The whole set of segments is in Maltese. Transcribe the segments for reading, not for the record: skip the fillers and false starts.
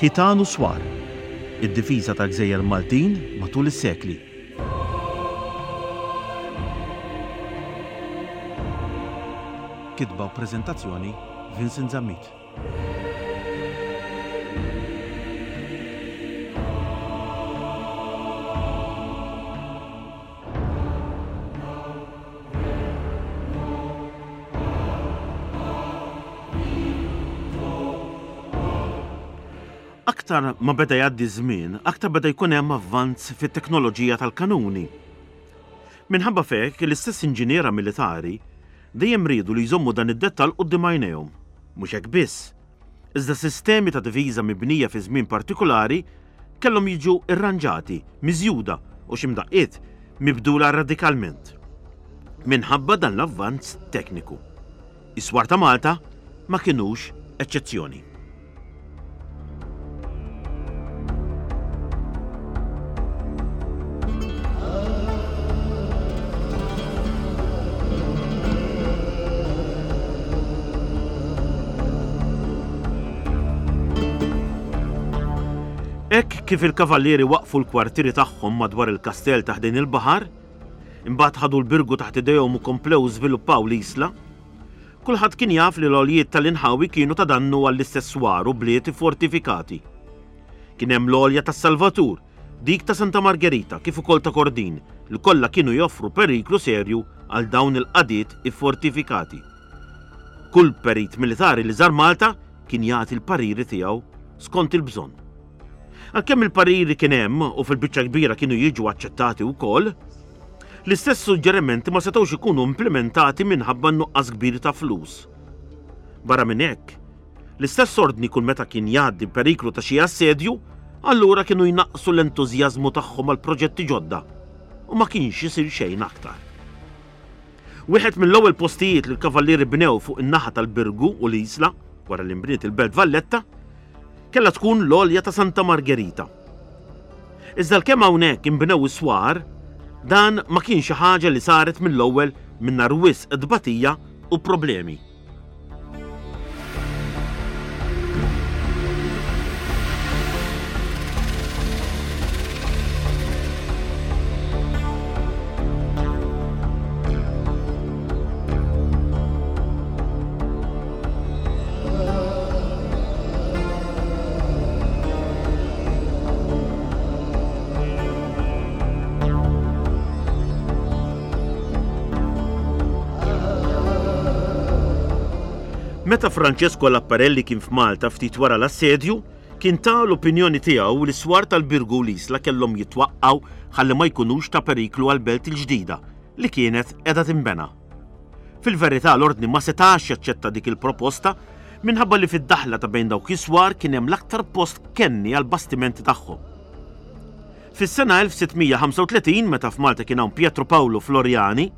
Ħitan u Swar, Id-difiża tal-gżejjer Maltin matul is-sekli. Kitba u preżentazzjoni Vincent Zammit. Aktar ma beda jgħaddi ż-żmien, aktar beda jkun hemm avvanz fit-teknoloġija tal-kanuni. Minħabba f'hekk, l-istess inġiniera militari dejjem riedu li jżommu dan id-dettall quddiem għajnejhom. Mhux hekk biss, iżda sistemi ta' difiża mibnija fi żmien partikulari kellhom jiġu rranġati, miżjuda u xi mdaqqiet mibdula radikalment. Minħabba dan l-avvanz tekniku. Is-swar ta' Malta ma kinux eċċezzjoni. Hekk kif il-kavallieri waqqfu l-kwartieri tagħhom madwar il-kastell ta' ħdejn il-baħar, imbagħad ħadu l-Birgu taħt idejhom u komplew żviluppaw l-Isla, kulħadd kien jaf li l-għoljiet tal-inħawi kienu ta' dannu għall-istess swar u bliet iffortifikati. Kien hemm l-għolja tas-Salvatur, dik ta' Santa Margherita kif ukoll ta' Kordin li kollha kienu joffru periklu serju għal dawn il-qagħdiet iffortifikati. Kull perit militari li żar Malta kien jagħti l-pariri tiegħu skont il-bżonn. Għalkemm il-pariri kien hemm u fil-biċċa kbira kienu jiġu aċċettati wkoll, l-istess suġġerimenti ma setgħux ikunu implimentati minħabba n-nuqqas kbir ta' flus. Barra minn hekk, l-istess ordni kull meta kien jgħaddi periklu ta' xi assedju, allura kienu jnaqqsu l-entużjażmu tagħhom għal proġetti ġodda u ma kienx isir xejn aktar. Wieħed mill-ewwel postijiet li l-Kavallieri bnew fuq in-naħa tal-Birgu u l-Isla, wara li nbniet il-Belt Valletta, kellha tkun l-għolja ta' Santa Margherita. Iżda l-kemm hawnhekk inbnew is-swar, dan ma kien xi ħaġa li saret mill-ewwel mingħajr wisq tbatija u problemi. Meta Francesco Lapparelli kien f'Malta ftit wara l-assedju, kien ta l-opinjoni tiegħu li s-swar tal-Birgu u l-Isla kellhom jitwaqqgħu ħalli ma jkunux ta' periklu għall-belt il-ġdida li kienet qiegħda tinbena. Fil-verità l-Ordni ma setax jaċċetta dik il-proposta minħabba li fid-daħla ta' bejn dawk is-swar kien hemm l-aktar post kenni għall-bastimenti tagħhom. Fis-sena 1635 meta f'Malta kien hawn Pietro Paolo Floriani,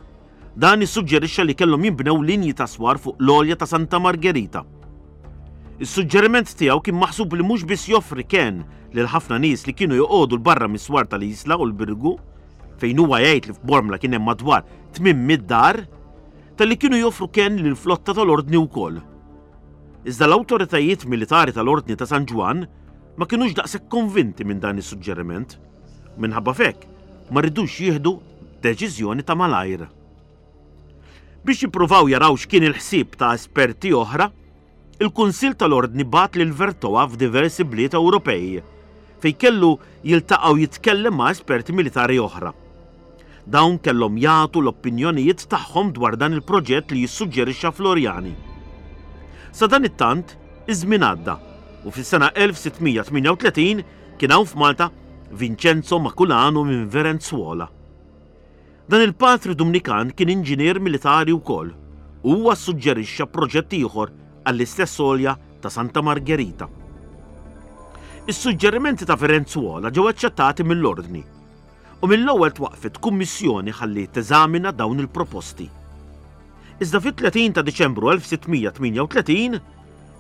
dan issuġġerixxa li kellhom jinbnew linji ta' swar fuq l-għolja ta' Santa Margherita. Is-suġġeriment tiegħu kien maħsub li mhux biss joffri kenn lil ħafna nies li kienu joqogħdu 'l barra mis-swar tal-Isla u l-Birgu, fejn huwa jgħid li f'Bormla kien hemm madwar 800 dar, talli kienu joffru kenn lill-flotta tal-Ordni wkoll. Iżda l-awtoritajiet militari tal-Ordni ta' San Ġwann ma kinux daqshekk konvinti minn dan is-suġġeriment. Minħabba f'hekk, ma ridux jieħdu deċiżjoni ta' malajr. Biex jippruvaw jaraw x'kien il-ħsieb ta' esperti oħra, il-Kunsill tal-Ordni bagħat lil Vertoa f'diversi bliet Ewropej, fejn kellu jiltaqa' u jitkellem ma' esperti militari oħra. Dawn kellhom jagħtu l-opinjonijiet tagħhom dwar dan il-proġett li jissuġġerixxa Floriani. Sadanittant, iż-żmien għadda u fis-sena 1638 kien hawn f'Malta Vincenzo Maculano minn Verenzuola. Dan il-patri Dumnikan kien inġinier militari wkoll u huwa ssuġġerixxa proġett ieħor għall-istess għolja ta' Santa Margherita. Is-suġġerimenti ta' Verenzuola ġew aċċettati mill-Ordni u mill-ewwel twaqqfet kummissjoni ħalli teżamina dawn il-proposti. Iżda fit-30 ta' Diċembru 1638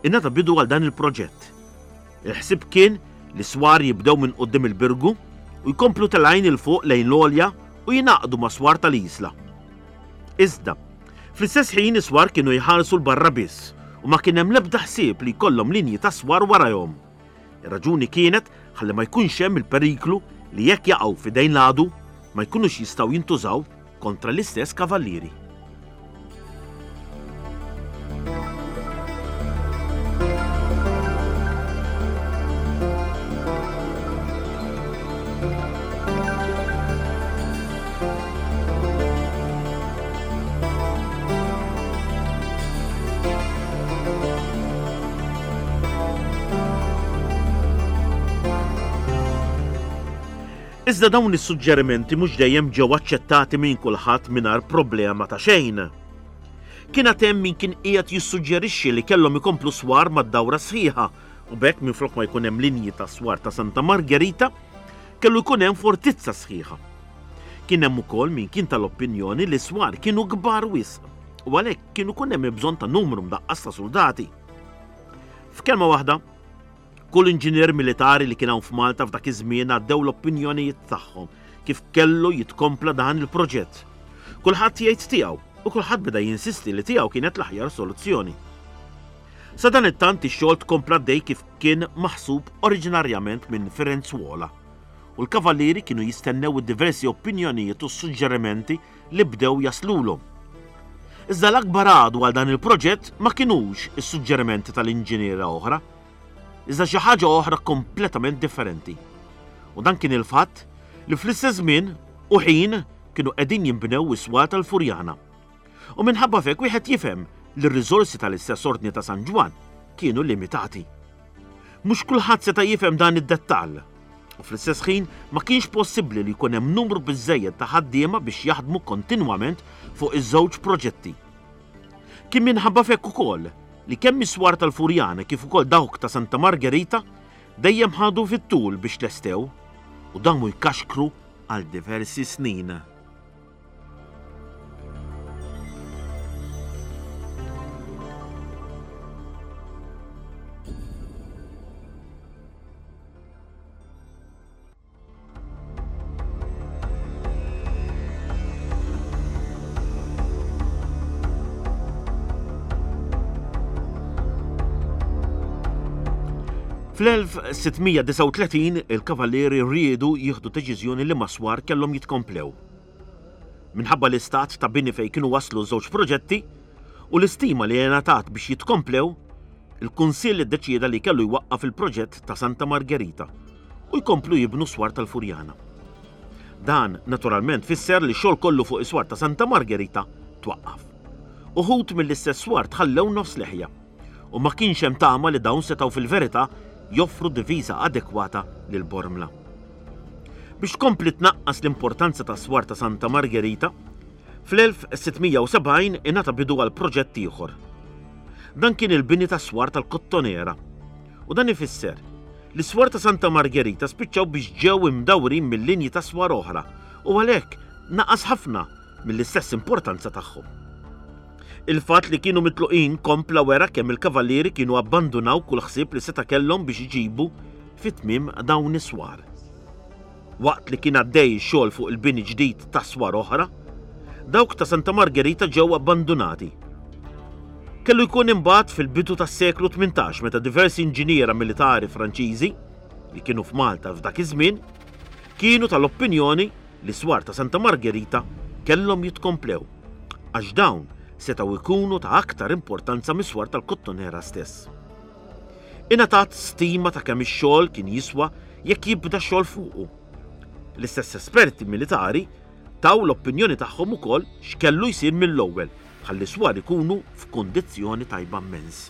ingħata bidu għal dan il-proġett. Il-ħsieb kien li s-swar jibdew minn quddiem il-Birgu u jkomplu telgħin 'il fuq lejn l-għolja u jingħaqdu mas-swar tal-Isla. Iżda, fl-istess ħin is-swar kienu jħarsu 'l barra biss u ma kien hemm l-ebda ħsieb li jkollhom linji ta' swar warajhom. Ir-raġuni kienet ħalli ma jkunx hemm il-periklu li jekk jaqgħu f'idejn l-għadu ma jkunux jistgħu jintużaw kontra l-istess kavallieri. Iżda dawn is-suġġerimenti mhux dejjem ġew aċċettati minn kulħadd mingħajr problema ta' xejn. Kien għad hemm min kien qiegħed jissuġġerixxi li kellhom ikomplu swar mad-dawra sħiħa u b'hekk minflok ma jkun hemm linji ta' swar ta' Santa Margherita, kellu jkun hemm fortizza sħiħa. Kien hemm ukoll min kien tal-opinjoni li s-swar kienu kbar wisq u għalhekk kien ikun hemm bżonn ta' numru mdaqqas ta' suldati. F'kelma waħda, kull inġinier militari li kien hawn f'Malta f'dak iż-żmien għaddew l-opinjonijiet tagħhom kif kellu jitkompla dan il-proġett. Kulħadd jgħid tiegħu u kulħadd beda jinsisti li tiegħu kienet l-aħjar soluzzjoni. Sadanittant ix-xogħol tkompla għaddej kif kien maħsub oriġinarjament minn Firenzuola u l-kavallieri kienu jistennew id-diversi opinjonijiet u s-suġġerimenti li bdew jaslulhom. Iżda l-akbar għadu għal dan il-proġett ma kinux is-suġġerimenti tal-inġiniera oħra, iżda xi ħaġa oħra kompletament differenti. U dan kien il-fatt li fl-istess żmien u ħin kienu qegħdin jinbnew is-swar tal-Furjana. U minħabba f'hekk wieħed jifhem li r-riżorsi tal-istess Ordni ta' San Ġwann kienu limitati. Mhux kulħadd seta' jifhem dan id-dettall. U fl-istess ħin ma kienx possibbli li jkun hemm numru biżżejjed ta' ħaddiema biex jaħdmu kontinwament fuq iż-żewġ proġetti. Kien minħabba f'hekk ukoll li kemm is-swar tal-Furjana kif ukoll dawk ta' Santa Margherita dejjem ħadu fit-tul biex tlestew u damu jkaxkru għal diversi snin. Fl-1639 il-Kavallieri riedu jieħdu deċiżjoni li mas-swar kellhom jitkomplew. Minħabba l-istat ta' bini fejn kienu waslu ż-żewġ proġetti u l-istima li ngħatat biex jitkomplew, il-Kunsill iddeċieda li kellu jwaqqaf il-proġett ta' Santa Margherita u jkomplu jibnu s-swar tal-Furjana. Dan, naturalment, fisser li x-xogħol kollu fuq is-swar ta' Santa Margherita twaqqaf. Uħud mill-istess swar tħallew nofs leħja u ma kienx hemm tama li dawn setgħu fil-verità joffru difiża adekwata lil Bormla. Biex tkompli tnaqqas l-importanza tas-swar ta' Santa Margherita, fl-1670 ingħata bidu għal proġett ieħor. Dan kien il-bini tas-swar tal-Kottonera. U dan ifisser li s-swar ta' Santa Margherita spiċċaw biex ġew imdawrin minn linji ta' swar oħra u għalhekk naqas ħafna mill-istess importanza tagħhom. Il-fatt li kienu mitluqin kompla wera kemm il-kavallieri kienu abbandunaw kull ħsieb li seta' kellhom biex iġibu fi tmiem dawn is-swar. Waqt li kien għaddej ix-xogħol fuq il-bini ġdid ta' swar oħra, dawk ta' Santa Margherita ġew abbandunati. Kellu jkun imbagħad fil-bidu tas-seklu 18 meta diversi inġiniera militari Franċiżi, li kienu f'Malta f'dak iż-żmien, kienu tal-opinjoni li s-swar ta' Santa Margherita kellhom jitkomplew, għax dawn setgħu jkunu ta' aktar importanza mis-swar tal-Kottonera stess. Ingħatat stima ta' kemm ix-xogħol kien jiswa jekk jibda x-xogħol fuqu. L-istess esperti militari taw l-opinjoni tagħhom ukoll x'kellu jsir mill-ewwel ħalli s-swar ikunu f'kundizzjoni tajba mmens.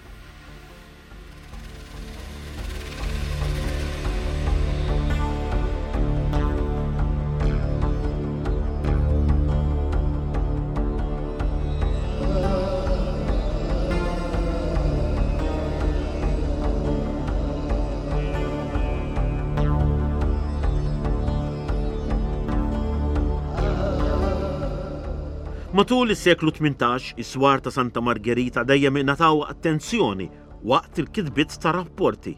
Matul is-seklu 18, is-swar ta' Santa Margherita dejjem ingħataw attenzjoni waqt il-kitbiet ta' rapporti.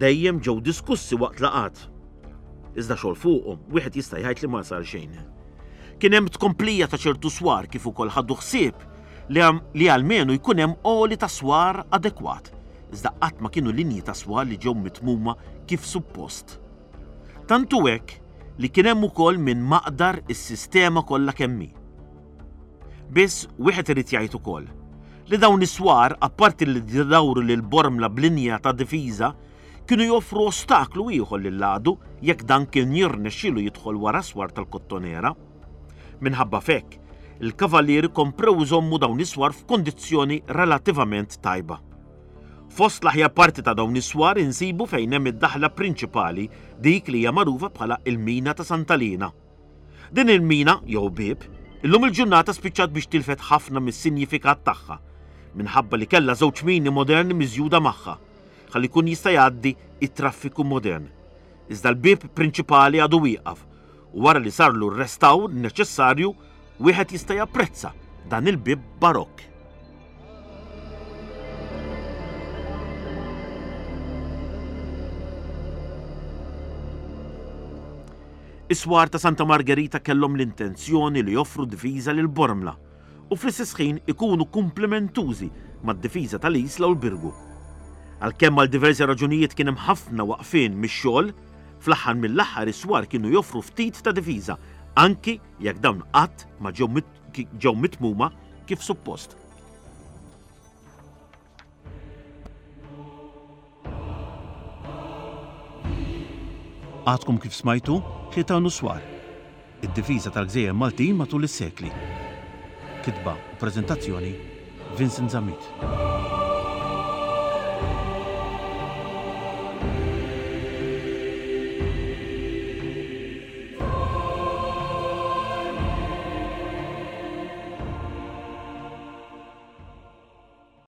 Dejjem ġew diskussi waqt laqgħat. Iżda xogħol fuqhom wieħed jista' jgħid li ma sar xejn. Kien hemm tkomplija ta' ċertu swar kif ukoll ħadu ħsieb li, li almenu jkun hemm għoli ta' swar adekwat. iżda qatt ma kienu linji ta' swar li ġew mitmuma kif suppost. Tant hu hekk li kien hemm ukoll min maqdar is-sistema kollha kemm hi. Biss wieħed irid jgħid ukoll li dawn is-swar apparti li dawru lil Bormla b'linja ta' difiża kienu joffru ostaklu ieħor lill-għadu jekk dan kien jirnexxielu jidħol wara s-swar tal-Kottonera. Minħabba f'hekk, il-Kavallieri komprew iżommu dawn is-swar f'kundizzjoni relattivament tajba. Fost l-aħjar parti ta' dawn is-swar insibu fejn hemm id-daħla prinċipali, dik li hija magħrufa bħala il-Mina ta' Santa Liena. Din il-mina, jew bieb, illum il-ġurnata spiċċat biex tilfet ħafna mis-sinjifikat tagħha, minħabba li kellha żewġ mini moderni miżjuda magħha, ħalli jkun jista' jgħaddi it-traffiku modern. Iżda l-bieb prinċipali għadu wieqaf u wara li sarlu r-restawr neċessarju wieħed jista' japprezza dan il-bieb barokk. Is-swar ta' Santa Margherita kellhom l-intenzjoni li joffru difiża lil Bormla u fl-istess ħin ikunu kumplimentużi mad-difiża tal-Isla u l-Birgu. Għalkemm għal diversi raġunijiet kien hemm ħafna waqfien mix-xogħol, fl-aħħar mill-aħħar is-swar kienu joffru ftit ta' difiża, anki jekk dawn qatt ma ġew mitmuma kif suppost. Għadkom kif smajtu Ħitan u Swar, id-difiża tal-gżejjer Maltin matul is-sekli. Kitba u preżentazzjoni Vincent Zammit.